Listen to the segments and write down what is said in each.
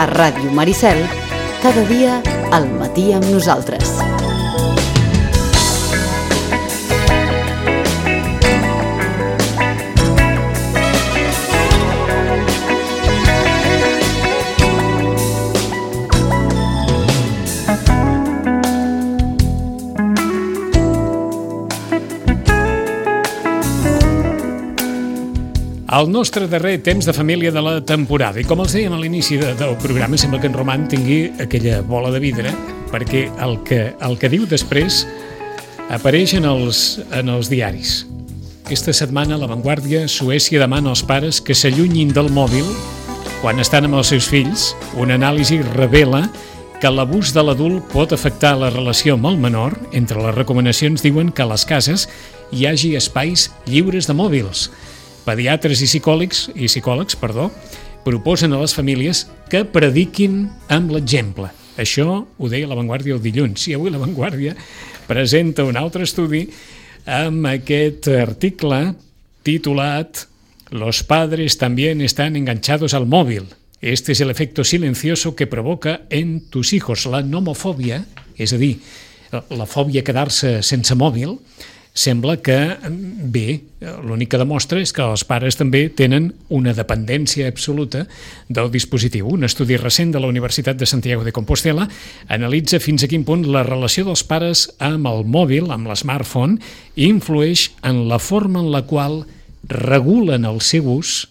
A Ràdio Maricel, cada dia al matí amb nosaltres. El nostre darrer temps de família de la temporada. I com els dèiem a l'inici del programa, sembla que en Roman tingui aquella bola de vidre, perquè el que diu després apareix en els diaris. Aquesta setmana, a La Vanguardia, Suècia demana als pares que s'allunyin del mòbil quan estan amb els seus fills. Una anàlisi revela que l'abús de l'adult pot afectar la relació amb el menor. Entre les recomanacions diuen que a les cases hi hagi espais lliures de mòbils. Pediatres i psicòlegs proposen a les famílies que prediquin amb l'exemple. Això ho deia La Vanguardia el dilluns. I avui La Vanguardia presenta un altre estudi amb aquest article titulat «Los padres también están enganchados al móvil. Este es el efecto silencioso que provoca en tus hijos». La nomofòbia, és a dir, la fòbia a quedar-se sense mòbil, sembla que, bé, l'únic que demostra és que els pares també tenen una dependència absoluta del dispositiu. Un estudi recent de la Universitat de Santiago de Compostela analitza fins a quin punt la relació dels pares amb el mòbil, amb l'smartphone, influeix en la forma en la qual regulen el seu ús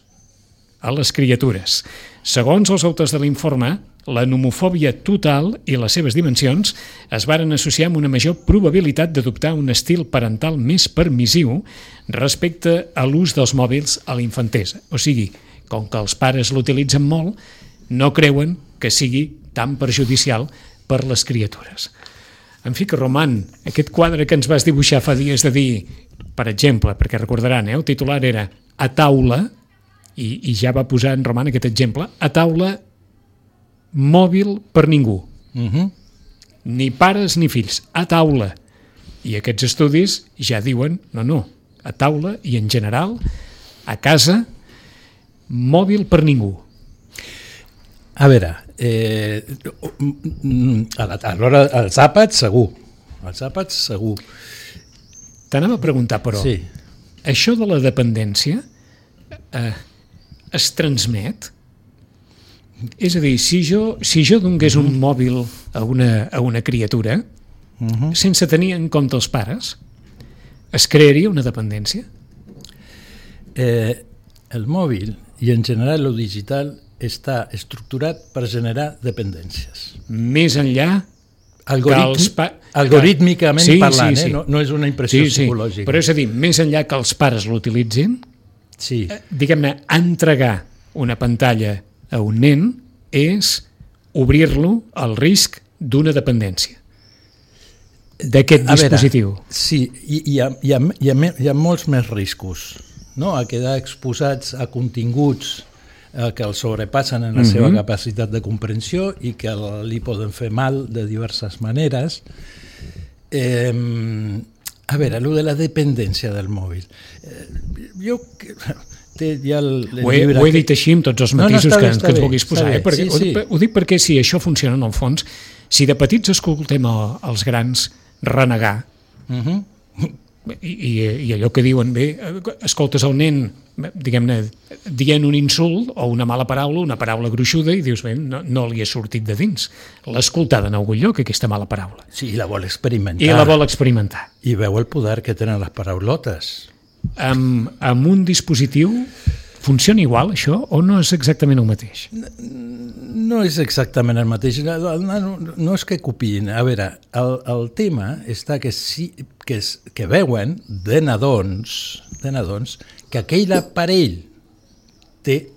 a les criatures. Segons els autors de l'informe, la nomofòbia total i les seves dimensions es varen associar amb una major probabilitat d'adoptar un estil parental més permissiu respecte a l'ús dels mòbils a la infantesa. O sigui, com que els pares l'utilitzen molt, no creuen que sigui tan perjudicial per les criatures. En fi, que Roman, aquest quadre que ens vas dibuixar fa dies de dir, per exemple, perquè recordaran, el titular era «A taula», i ja va posar en Roman aquest exemple, «A taula, mòbil per ningú». Ni pares ni fills, a taula. I aquests estudis ja diuen, no, a taula i en general, a casa, mòbil per ningú. A veure, a l'hora, els àpats segur. T'anava a preguntar, però, sí. Això de la dependència es transmet? És a dir, si jo donés un mòbil a una criatura, sense tenir en compte els pares, es crearia una dependència? El mòbil, i en general el digital, està estructurat per generar dependències. Més enllà algorítmicament parlant, sí. No és una impressió psicològica. Però és a dir, més enllà que els pares l'utilitzin, diguem-ne, entregar una pantalla a un nen és obrir-lo al risc d'una dependència d'aquest dispositiu. Sí, hi ha molts més riscos, no? A quedar exposats a continguts que el sobrepassen en la seva capacitat de comprensió i que li poden fer mal de diverses maneres. A veure, allò de la dependència del mòbil. Ho he dit així amb tots els matisos que ens vulguis posar. Ho dic perquè si això funciona en el fons, si de petits escoltem els grans renegar i allò que diuen, bé, escoltes el nen, diguem-ne, dient un insult o una mala paraula, una paraula gruixuda, i dius, bé, no li ha sortit de dins. L'ha escoltada en algun lloc, aquesta mala paraula. Sí, i la vol experimentar. I veu el poder que tenen les paraulotes. Amb un dispositiu funciona igual, això, o no és exactament el mateix? No és exactament el mateix. No és que copiïn. A veure, el tema està que veuen de nadons que aquell aparell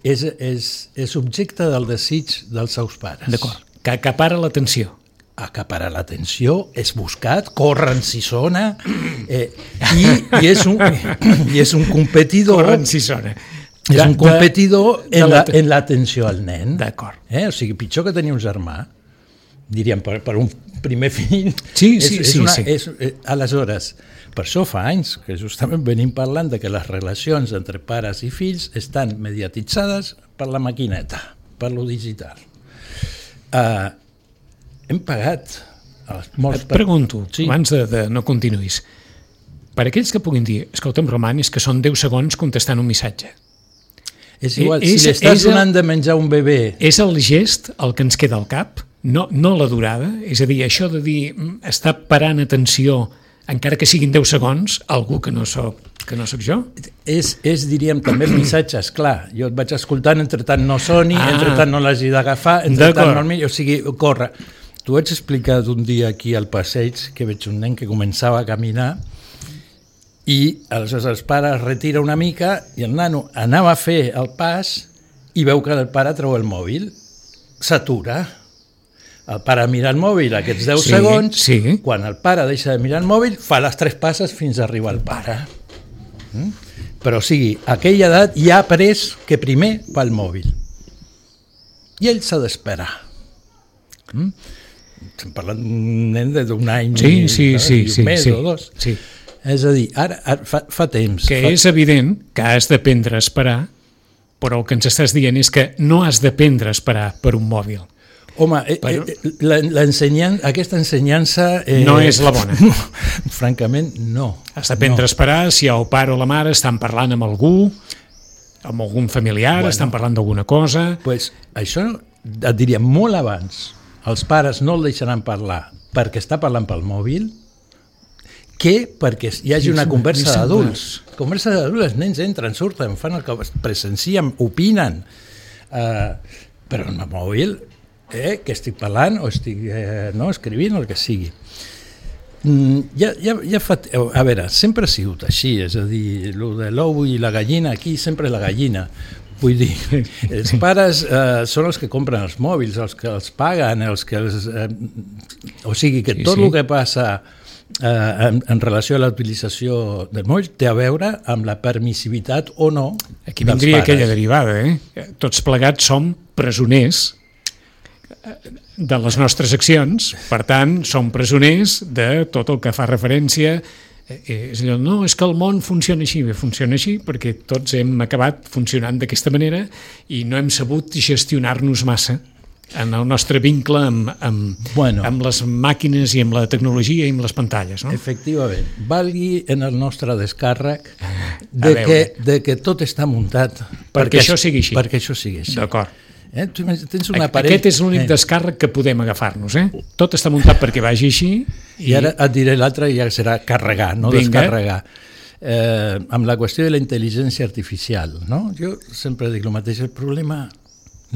és objecte del desig dels seus pares. D'acord, que acapara l'atenció. Acapara l'atenció, és buscat, corren si sona, i és un competidor. Corren si sona. És un competidor en l'atenció al nen. D'acord. O sigui, pitjor que tenir un germà, diríem, per un primer fill. Sí. Aleshores, per això fa anys que justament venim parlant de que les relacions entre pares i fills estan mediatitzades per la maquineta, per lo digital. hem pagat molts... Et pregunto, Sí. abans de no continuïs, per aquells que puguin dir, escolta'm, Roman, és que són 10 segons contestant un missatge. És igual, És- si li estàs és el- donant de menjar un bebè... És el gest el que ens queda al cap, no la durada, és a dir, això de dir, està parant atenció, encara que siguin 10 segons, algú que no soc jo? És, diríem, també el missatge, esclar. Jo et vaig escoltant, entre tant no soni, entre tant no l'hagi d'agafar, entre tant no el miro, o sigui, corre. T'ho vaig explicar un dia aquí al passeig, que veig un nen que començava a caminar i aleshores el pare es retira una mica i el nano anava a fer el pas i veu que el pare treu el mòbil, s'atura. El pare mira el mòbil aquests 10 segons, quan el pare deixa de mirar el mòbil, fa les 3 passes fins a arribar al pare. Però o sigui, a aquella edat ja ha après que primer fa el mòbil. I ell s'ha d'esperar. Estem parlant d'un nen d'un any i un mes o dos. Sí. És a dir, ara fa temps. Que és evident que has d'aprendre a esperar, però el que ens estàs dient és que no has d'aprendre a esperar per un mòbil. Home, aquesta ensenyança... no és la bona. Francament, no. Has d'aprendre a esperar si el pare o la mare estan parlant amb algú, amb algun familiar, estan parlant d'alguna cosa... Pues això et diria molt abans. Els pares no el deixaran parlar perquè està parlant pel mòbil que perquè hi hagi una conversa d'adults. Conversa d'adults, els nens entren, surten, fan el que presencien, opinen. Però en el mòbil... que estic parlant o estic escrivint o el que sigui. A veure, sempre ha sigut així, és a dir, el de l'ou i la gallina, aquí sempre la gallina. Vull dir, els pares són els que compren els mòbils, els que els paguen, o sigui que tot el que passa en relació a la utilització del mòbil té a veure amb la permissivitat o no dels pares. Aquí vindria aquella derivada, Tots plegats som presoners de les nostres accions, per tant, som presoners de tot el que fa referència. És allò, no, és que el món funciona així perquè tots hem acabat funcionant d'aquesta manera i no hem sabut gestionar-nos massa en el nostre vincle amb les màquines i amb la tecnologia i amb les pantalles. No? Efectivament, valgui en el nostre descàrrec de que tot està muntat perquè això sigui així. Perquè això sigui així. D'acord. Tens un aparell... Aquest és l'únic descàrrec que podem agafar-nos. Tot està muntat perquè vagi així. I ara et diré l'altre i ja serà carregar, no descarregar. Amb la qüestió de la intel·ligència artificial, no? Jo sempre dic el mateix, el problema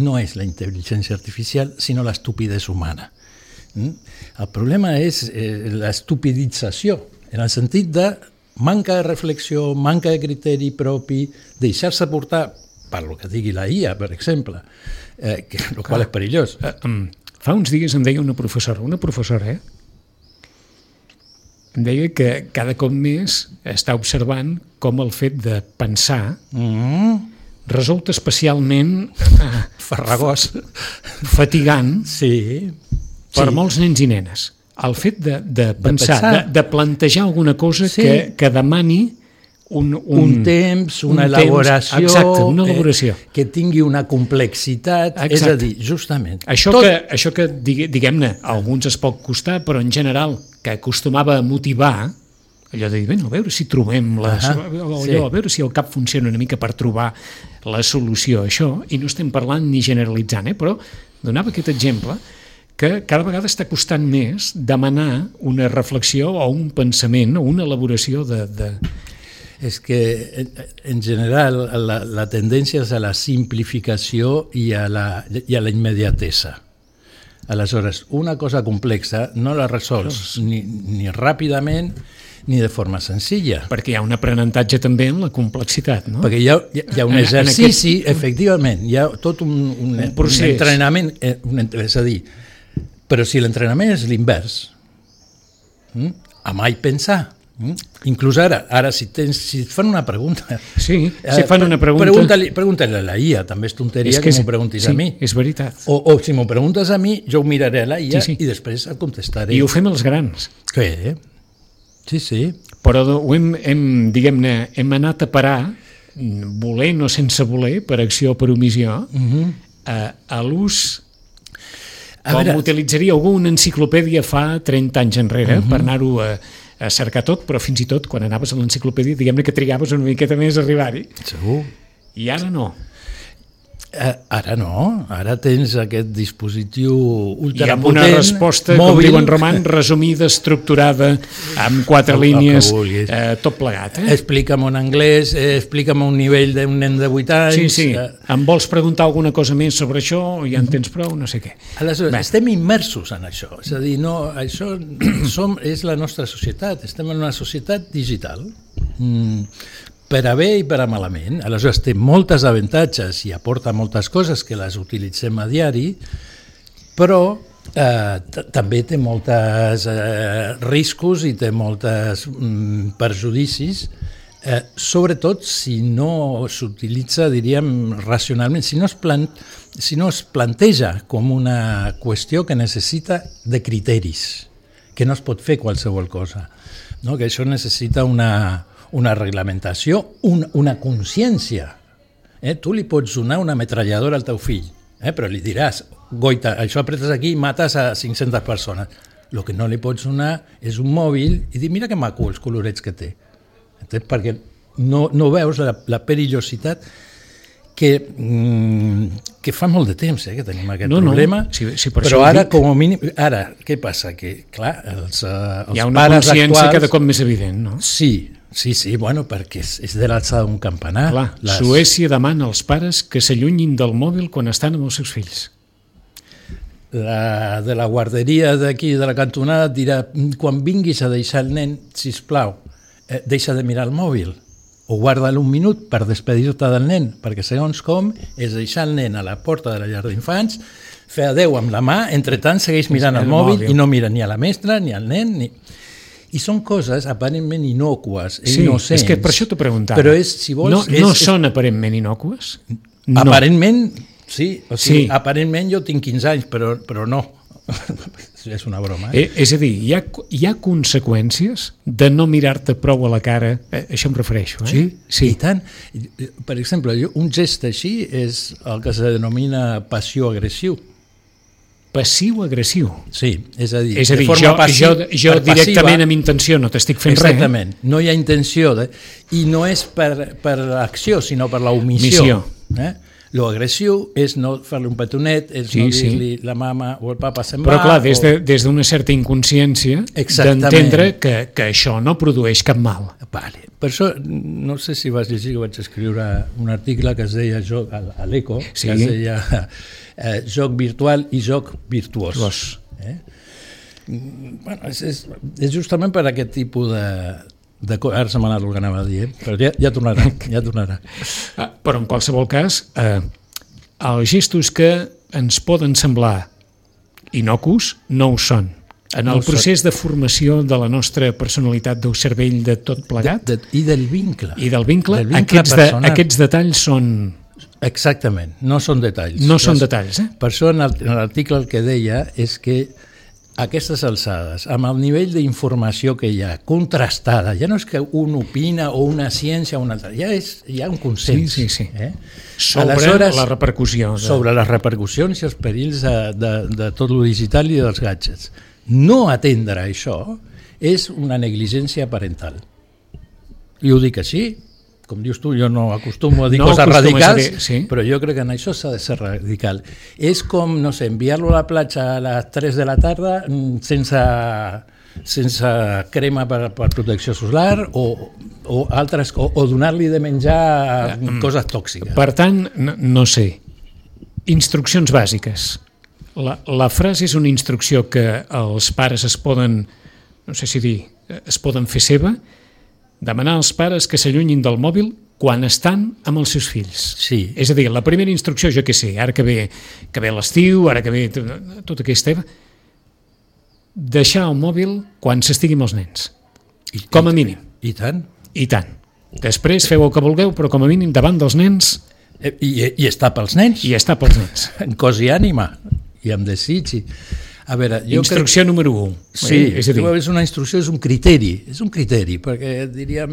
no és la intel·ligència artificial, sinó l'estupidesa humana. El problema és l'estupidització, en el sentit de manca de reflexió, manca de criteri propi, deixar-se portar per lo que digui la IA, per exemple, el qual és perillós. Fa uns dies em deia una professora, em deia que cada cop més està observant com el fet de pensar resulta especialment farragós, fatigant per molts nens i nenes. El fet de pensar, de plantejar alguna cosa que demani un temps, una elaboració, exacte, una elaboració que tingui una complexitat, és a dir, justament això que diguem-ne, a alguns es pot costar, però en general que acostumava a motivar, allò de dir, a veure si trobem a veure si el cap funciona una mica per trobar la solució a això, i no estem parlant ni generalitzant, però donava aquest exemple que cada vegada està costant més demanar una reflexió o un pensament o una elaboració de... És que, en general, la tendència és a la simplificació i a la immediatesa. Aleshores, una cosa complexa no la resols ni ràpidament ni de forma senzilla. Perquè hi ha un aprenentatge també en la complexitat, no? Perquè hi ha un exercici, efectivament, hi ha tot un entrenament, és a dir, però si l'entrenament és l'invers, a mai pensar, inclús ara si et fan una pregunta... Sí, si fan una pregunta... Pregunta-li a la IA, també és tonteria que m'ho preguntis a mi. Sí, és veritat. O si m'ho preguntes a mi, jo ho miraré a la IA i després et contestaré. I ho fem els grans. Sí. Però hem anat a parar, volent o sense voler, per acció o per omissió, a l'ús Com utilitzaria algú una enciclopèdia fa 30 anys enrere per anar-ho a cercar tot, però fins i tot quan anaves a l'enciclopèdia, diguem-ne que trigaves una miqueta més a arribar-hi. Segur. I ara no. Ara no, ara tens aquest dispositiu ultrapotent, i amb una resposta, mòbil, com diuen Roman, resumida, estructurada, amb 4 línies, tot plegat. Explica'm en anglès, explica'm un nivell d'un nen de 8 anys... Sí. Em vols preguntar alguna cosa més sobre això? Ja en tens prou? No sé què. Aleshores, estem immersos en això. És a dir, no, això és la nostra societat. Estem en una societat digital. Per a bé i per a malament. Aleshores té moltes avantatges i aporta moltes coses que les utilitzem a diari, però també té molts riscos i té molts perjudicis, sobretot si no s'utilitza, diríem, racionalment, si no es planteja com una qüestió que necessita de criteris, que no es pot fer qualsevol cosa, no? Que això necessita una reglamentació, una consciència. Tu li pots donar una metralladora al teu fill, però li diràs, goita, això apretes aquí i mates a 500 persones. El que no li pots donar és un mòbil i dir, mira que maco els colorets que té. Perquè no veus la perillositat que fa molt de temps que tenim aquest problema, però ara, com a mínim, què passa? Que, clar, els hi ha una consciència cada cop més evident, no? Sí, bueno, perquè és de l'alçada d'un campanar. Clar, Suècia demana als pares que s'allunyin del mòbil quan estan amb els seus fills. De la guarderia d'aquí, de la cantonada, dirà, quan vinguis a deixar el nen, sisplau, deixa de mirar el mòbil, o guarda-lo un minut per despedir-te del nen, perquè segons com és deixar el nen a la porta de la llar d'infants, fer adeu amb la mà, entretant segueix mirant el mòbil i no mira ni a la mestra, ni al nen, ni... I són coses aparentment innocues, innocents. És que per això t'ho preguntava. Però si vols... No són aparentment innocues? No. Aparentment, sí. O sigui, aparentment jo tinc 15 anys, però no. És una broma. És a dir, hi ha conseqüències de no mirar-te prou a la cara, això em refereixo. Sí, i tant. Per exemple, un gest així és el que se denomina passió-agressiu. Passiu-agressiu. Sí, és a dir, de forma passiva, jo directament amb intenció no t'estic fent res. Exactament, no hi ha intenció, i no és per l'acció, sinó per l'omissió. Lo agressiu és no fer-li un petonet, és no dir-li la mama o el papa se'n va. Però clar, des d'una certa inconsciència d'entendre que això no produeix cap mal. Vale. Per això, no sé si vas llegir que vaig escriure un article que es deia a l'Eco, que es deia joc virtual i joc virtuós. Bueno, és justament per aquest tipus de ara se m'ha anat el que anava a dir, però ja tornarà. Però en qualsevol cas, els gestos que ens poden semblar innocus no ho són. En el procés de formació de la nostra personalitat, del cervell, de tot plegat. I del vincle. Aquests detalls són... Exactament, no són detalls. No són detalls, Per això en l'article el que deia és que aquestes alçades, amb el nivell d'informació que hi ha, contrastada, ja no és que un opina o una ciència o una altra, hi ha un consens. Sobre la repercussió. Sobre les repercussions i els perills de tot lo digital i dels gadgets. No atendre això és una negligència parental. I ho dic així, com dius tu, jo no acostumo a dir coses radicals, però jo crec que en això s'ha de ser radical. És com, no sé, enviar-lo a la platja a les 3 de la tarda sense crema per protecció solar o donar-li de menjar coses tòxiques. Per tant, no sé, instruccions bàsiques. La frase és una instrucció que els pares es poden, no sé si dir, es poden fer seva, demanar als pares que s'allunyin del mòbil quan estan amb els seus fills. Sí. És a dir, la primera instrucció, jo què sé, ara que ve l'estiu, ara que ve tot aquest tema, deixar el mòbil quan s'estigui amb els nens. Com a mínim. I tant. I tant. Després feu el que vulgueu, però com a mínim davant dels nens... I està pels nens. I està pels nens. En cos i ànima, i amb desig. A veure, instrucció número 1. Sí, és una instrucció, és un criteri, perquè diríem...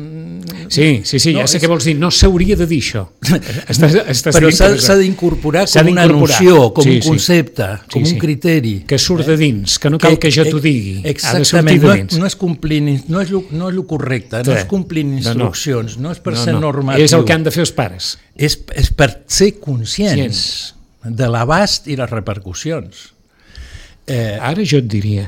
Sí, ja sé què vols dir, no s'hauria de dir això. Però s'ha d'incorporar com una noció, com un concepte, com un criteri. Que surt de dins, que no cal que jo t'ho digui. Exactament, no és complint, no és el correcte, no és complint instruccions, no és per ser normatiu. És el que han de fer els pares. És per ser conscients de l'abast i les repercussions. Ara jo et diria,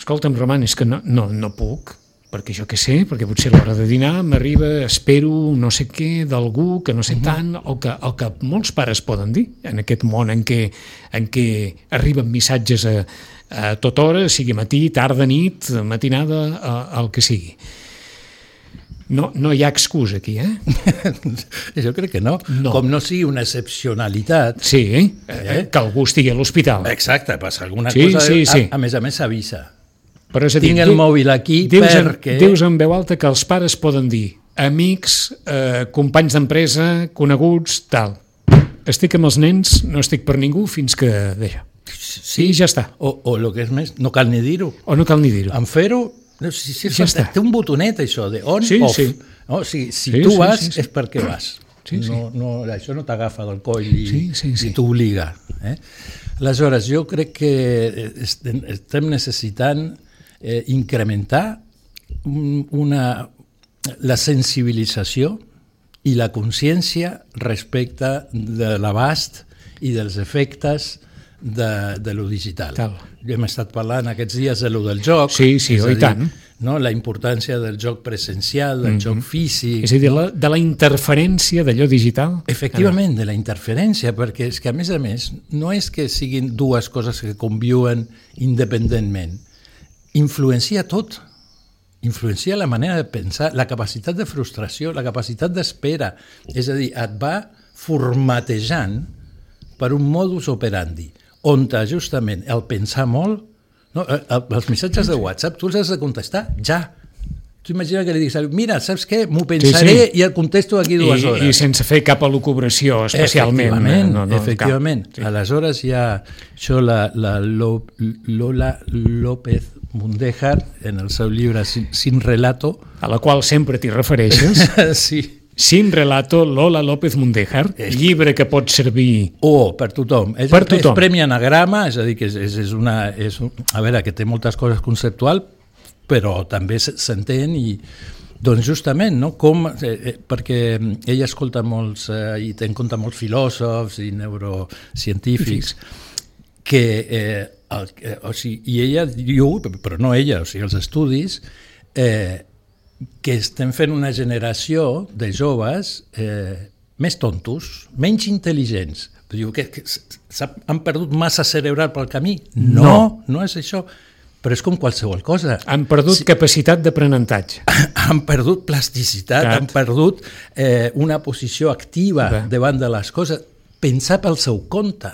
escolta'm, Roman, és que no puc, perquè jo què sé, perquè potser a l'hora de dinar m'arriba, espero no sé què d'algú que no sé tant, o que molts pares poden dir en aquest món en què arriben missatges a tota hora, sigui matí, tarda, nit, matinada, el que sigui. No hi ha excusa aquí, Jo crec que no. Com no sigui una excepcionalitat. Sí, que algú estigui a l'hospital. Exacte, passa alguna cosa, a més s'avisa. Però és a dir, tinc el mòbil aquí perquè... Dius en veu alta que els pares poden dir amics, companys d'empresa, coneguts, tal. Estic amb els nens, no estic per ningú fins que deixa. Sí, ja està. O el que és més, no cal ni dir-ho. En fer-ho, ja està. Té un botonet, això, de on, off. Si tu vas, és perquè vas. Això no t'agafa del coll i t'obliga. Aleshores, jo crec que estem necessitant incrementar la sensibilització i la consciència respecte de l'abast i dels efectes de lo digital. Hem estat parlant aquests dies de lo del joc. Sí, i tant. La importància del joc presencial, del joc físic. És a dir, de la interferència d'allò digital? Efectivament, de la interferència, perquè és que, a més, no és que siguin dues coses que conviuen independentment. Influencia tot. Influencia la manera de pensar, la capacitat de frustració, la capacitat d'espera. És a dir, et va formatejant per un modus operandi, on justament el pensar molt, els missatges de WhatsApp tu els has de contestar ja. Tu imagina que li diguis, mira, saps què? M'ho pensaré i el contesto d'aquí 2 hores. I sense fer cap elucubració especialment. Efectivament. Aleshores hi ha això, la Lola López Mundéjar, en el seu llibre Sin Relato, a la qual sempre t'hi refereixes. Sí. Sin Relato, Lola López Mundéjar, llibre que pot servir... per tothom. És premi Anagrama, és a dir, que és una... A veure, que té moltes coses conceptuals, però també s'entén i... Doncs justament, no? Perquè ella escolta molts, i té en compte molts filòsofs i neurocientífics, i ella diu, però no ella, o sigui, els estudis, que estem fent una generació de joves més tontos, menys intel·ligents. Diu que han perdut massa cerebral pel camí? No és això. Però és com qualsevol cosa. Han perdut capacitat d'aprenentatge. Han perdut plasticitat, han perdut una posició activa davant de les coses. Pensar pel seu compte.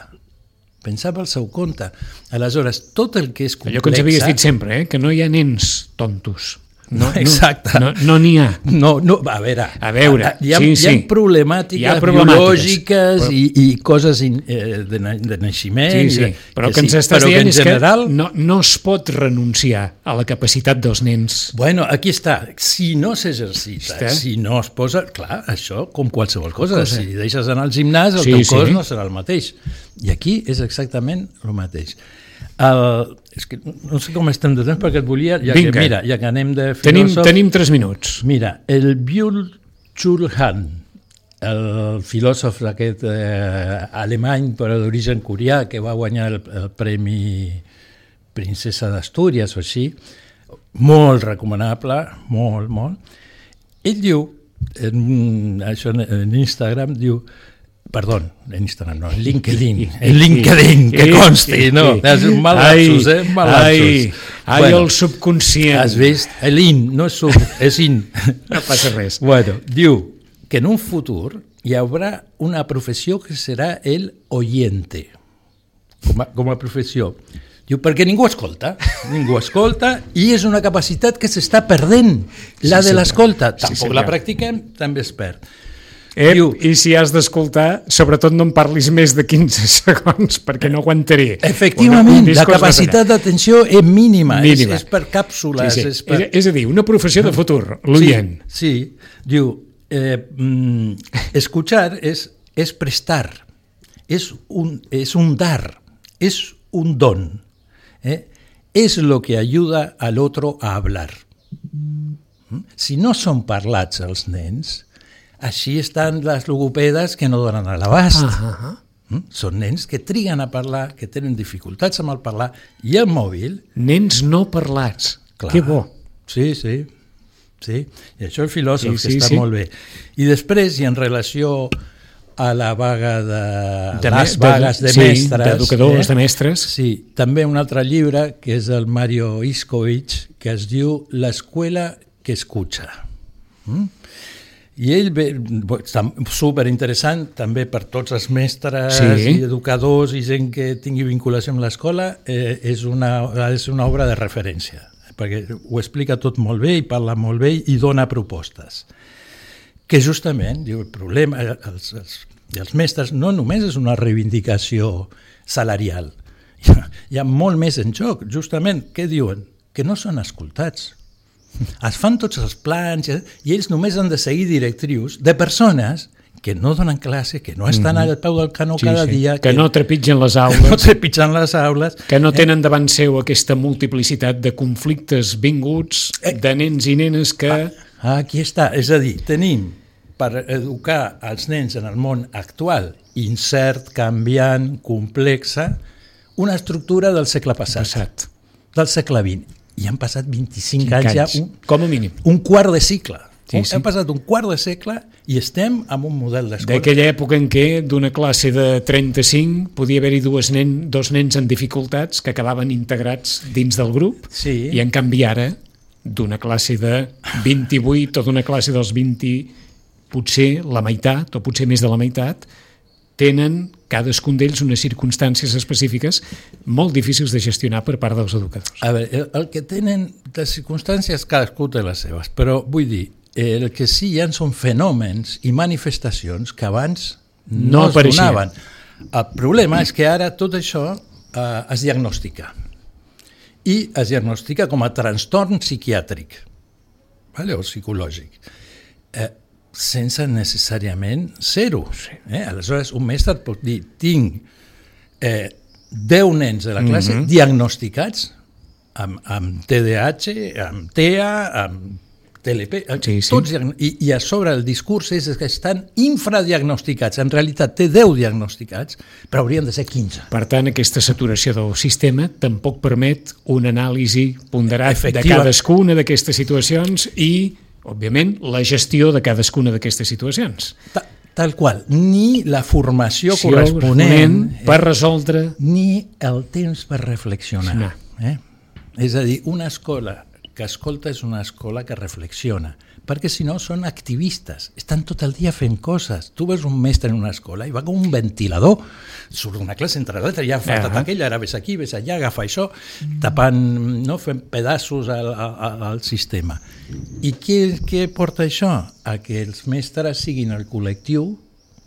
Aleshores, tot el que és complex... Allò que ens havies dit sempre, que no hi ha nens tontos. Exacte. No n'hi ha. A veure, hi ha problemàtiques biològiques i coses de naixement. Sí, però que ens estàs dient és que no es pot renunciar a la capacitat dels nens. Bueno, aquí està. Si no s'exercita, si no es posa... Clar, això com qualsevol cosa. Si deixes anar al gimnàs, el teu cos no serà el mateix. I aquí és exactament el mateix. És que no sé com estem de temps perquè et volia... Ja que anem de filòsof... Tenim 3 minuts. Mira, el Byung-Chul Han, el filòsof aquest alemany però d'origen coreà que va guanyar el Premi Princesa d'Astúries o així, molt recomanable, molt. Ell diu, en Instagram, diu... Perdó, en Instagram no, en LinkedIn, que consti, no, és un mal lapsus, mal lapsus. El subconscient. Has vist? L'in, no és sub, és in. No passa res. Bueno, diu que en un futur hi haurà una professió que serà el oyente, com a professió. Diu, perquè ningú escolta i és una capacitat que s'està perdent, la de l'escolta. Tampoc la practiquem, també es perd. I si has d'escoltar, sobretot no em parlis més de 15 segons, perquè no aguantaré. Efectivament, la capacitat d'atenció és mínima. És per càpsules. Sí. És a dir, una professió de futur, l'oient. Sí, diu, escuchar es prestar, es un dar, es un don. Es lo que ayuda al otro a hablar. Si no són parlats els nens, així estan les logopedes que no donen a l'abast. Són nens que triguen a parlar, que tenen dificultats amb el parlar, i el mòbil... Nens no parlats. Clar. Que bo. Sí. I això el filòsof que està molt bé. I després, i en relació a la vaga les vagues de mestres... d'educadors, de mestres. Sí, també un altre llibre, que és del Mario Iskovich, que es diu L'escuela que escucha. I ell ve, superinteressant també per tots els mestres i educadors i gent que tingui vinculació amb l'escola, és una obra de referència, perquè ho explica tot molt bé i parla molt bé i dona propostes. Que justament, diu, el problema dels mestres no només és una reivindicació salarial, hi ha molt més en joc. Justament, què diuen? Que no són escoltats. Es fan tots els plans i ells només han de seguir directrius de persones que no donen classe, que no estan al peu del canó cada dia. Que no trepitgen les aules. Que no tenen davant seu aquesta multiplicitat de conflictes vinguts, de nens i nenes que... Aquí està, és a dir, tenim per educar els nens en el món actual, incert, canviant, complexa, una estructura del segle passat. Del segle XX. I han passat 25 anys ja, com a mínim. Un quart de segle. Hem passat un quart de segle i estem amb un model d'escola. D'aquella època en què d'una classe de 35 podia haver-hi dos nens amb dificultats que acabaven integrats dins del grup, i en canvi ara, d'una classe de 28 o d'una classe dels 20, potser la meitat o potser més de la meitat, tenen cadascun d'ells unes circumstàncies específiques molt difícils de gestionar per part dels educadors. A veure, el que tenen les circumstàncies, cadascú té les seves, però vull dir, el que sí hi ha són fenòmens i manifestacions que abans no es donaven. El problema és que ara tot això es diagnostica. I es diagnostica com a trastorn psiquiàtric o psicològic. Sense necessàriament ser-ho. Aleshores, un mestre pot dir, tinc 10 nens de la classe diagnosticats amb TDAH, amb TEA, amb TLP, tots, i a sobre el discurs és que estan infradiagnosticats. En realitat té 10 diagnosticats, però haurien de ser 15. Per tant, aquesta saturació del sistema tampoc permet un anàlisi ponderat de cadascuna d'aquestes situacions i òbviament, la gestió de cadascuna d'aquestes situacions. Tal qual. Ni la formació corresponent per resoldre... Ni el temps per reflexionar. És a dir, una escola que escolta és una escola que reflexiona, perquè si no són activistes, estan tot el dia fent coses. Tu veus un mestre en una escola i va com un ventilador, surt d'una classe entre l'altra, ja ha faltat aquella, ara ves aquí, ves allà, agafa això, tapant, fent pedaços al sistema. I què porta això? A que els mestres siguin el col·lectiu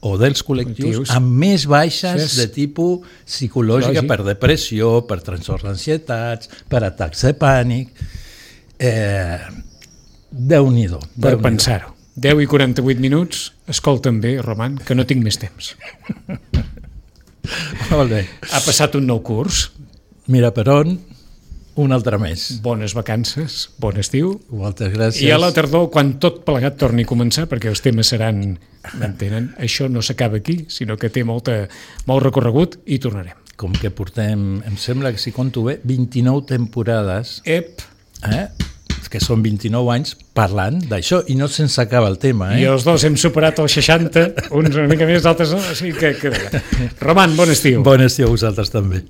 o dels col·lectius amb més baixes de tipus psicològica per depressió, per trastorns d'ansietats, per atacs de pànic. Déu-n'hi-do. Per pensar-ho. 10 i 48 minuts, escolta'm bé, Roman, que no tinc més temps. Molt bé. Ha passat un nou curs. Mira per on, un altre més. Bones vacances, bon estiu. Moltes gràcies. I a la tardor, quan tot plegat torni a començar, perquè els temes seran, m'entenen, això no s'acaba aquí, sinó que té molt recorregut i tornarem. Com que portem, em sembla que si compto bé, 29 temporades. Que són 29 anys parlant d'això i no se'ns acaba el tema. I els dos hem superat els 60, uns una mica més, d'altres no, així que... Roman, bon estiu. Bon estiu a vosaltres també.